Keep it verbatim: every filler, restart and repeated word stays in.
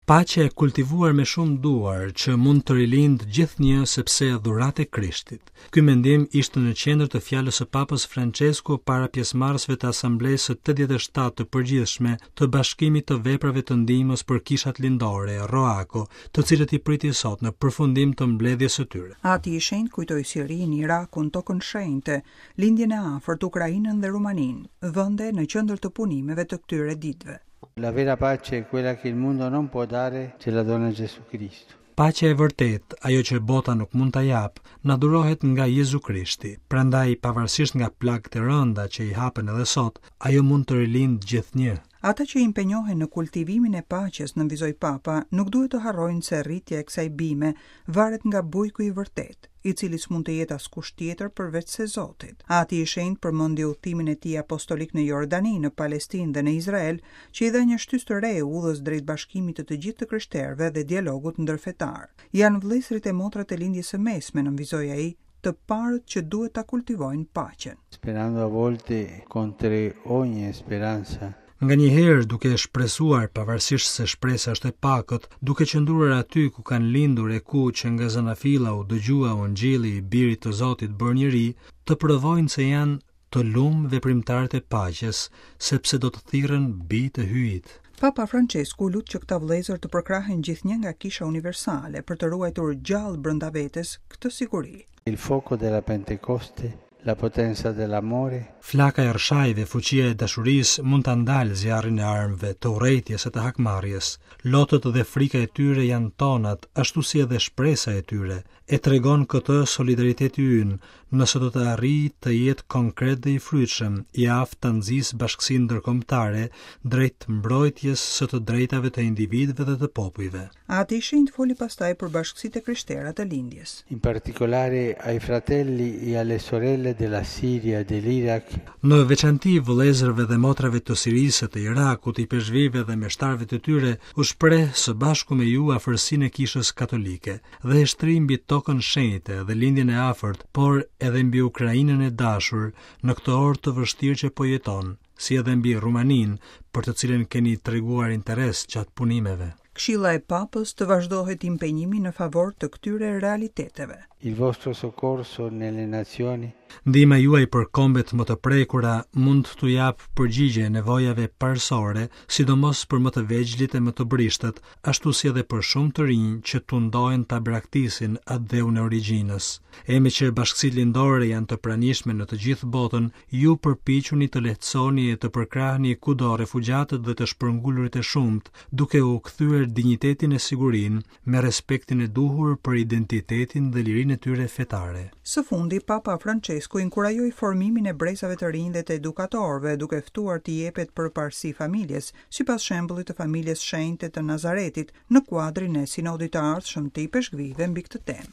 Paqe e kultivuar me shumë duar që mund të rilind gjithnjë sepse dhuratë e Krishtit. Ky mendim ishte në qendër të fjalës së Papës Francesku para pjesëmarrësve të Asamblesë së tetëdhjetë e shtatë të përgjithshme të Bashkimit të Veprave të Ndihmës për Kishat Lindore, Roako, të cilët i priti sot në përfundim të mbledhjes së tyre. Ati i Shenjtë kujtoi Sirinë, Irakun, Tokën Shenjte, Lindjen e Afërt, Ukrainën dhe Rumaninë, vende në qendër të punimeve të këtyre ditëve. La vera pace è quella che il mondo non può dare, ce la dona Gesù Cristo. Paqja e vërtetë, ajo që bota nuk mund ta japë, na dhurohet nga Jezu Krishti. Prandaj, pavarësisht nga plagët e rënda që i hapen edhe sot, ajo mund të rilind gjithnjë. Ata që impenjohen në kultivimin e paqes, nënvizoi Papa, nuk duhet të harrojnë se rritja e kësaj bime varet nga bujku i vërtetë, i cili s'mund të jetë askush tjetër përveç se Zotit. Ati i Shenjtë përmendi udhëtimin e tij apostolik në Jordani, në Palestinë dhe në Izrael, që i dha një shtysë të re udhës drejt bashkimit të të gjithë të krishterëve dhe dialogut ndërfetar. Janë vëllezërit e motrat e Lindjes së Mesme, nënvizoi ai, të parët që duhet ta kultivojnë paqen. Sperando a volte contro ogni speranza. Nganjëherë duke shpresuar, pavarësisht se shpresa është e pakët, duke qëndruar aty ku kanë lindur e ku që nga zanafilla u dëgjua ungjilli i birit të Zotit bërë njeri, të provojnë se janë të lum veprimtarët e paqes, sepse do të thirren bij të Hyjit. Papa Francesku lut që këta vëllezër të përkrahen gjithnjë nga Kisha Universale për të ruajtur gjallë brenda vetes këtë siguri. Il fuoco della Pentecoste, la potenza dell'amore, Flaka e rrëshajve, fuqia e dashurisë mund ta ndalë zjarrin e armëve, të urrejtjes e të hakmarrjes. Lotët dhe frika e tyre janë tonat, ashtu si edhe shpresa e tyre. E tregon këtë solidariteti ynë, nëse do të arrijë të jetë konkret dhe i frytshëm, i aftë ta nxisë bashkësinë ndërkombëtare drejt mbrojtjes së të drejtave të individëve dhe të popujve. Ati i Shenjtë foli pastaj për bashkësitë e krishtera të lindjes. In particolare ai fratelli e alle sorelle della Siria e dell'Iraq. Në veçanti vëllezërve dhe motrave të Sirisë e të Irakut, ipeshkvijve dhe meshtarëve të tyre, u shpreh së bashku me ju afërsinë e Kishës Katolike dhe e shtri mbi tokën shenjte dhe lindjen e afërt, por edhe mbi Ukrainën e dashur në këtë orë të vështirë që po jeton, si edhe mbi Rumaninë, për të cilën keni treguar interes gjatë punimeve. Këshilla e Papës të vazhdohet impenjimi në favor të këtyre realiteteve. Il vostro soccorso nelle nazioni. Ndihma juaj për kombet më të prekura mund t'u japë përgjigje nevojave parësore, sidomos për më të vegjlit e më të brishtët, ashtu si edhe për shumë të rinj që tundohen ta braktisin atdheun e origjinës. E me që bashkësitë lindore janë të pranishme në të gjithë botën, ju përpiquni të lehtësoni e të përkrahni kudo refugjatët dhe të shpërngulurit e shumtë, duke u kthyer dinjitetin e sigurinë me respektin e duhur për identitetin dhe lirinë e tyre fetare. Së fundi, Papa Francesku inkurajoi formimin e brezave të rinj dhe të edukatorëve, duke ftuar t'i jepet përparësi familjes, sipas shembullit të familjes shenjte të Nazaretit, në kuadrin e sinodit të ardhshëm të ipeshkvijve mbi këtë temë.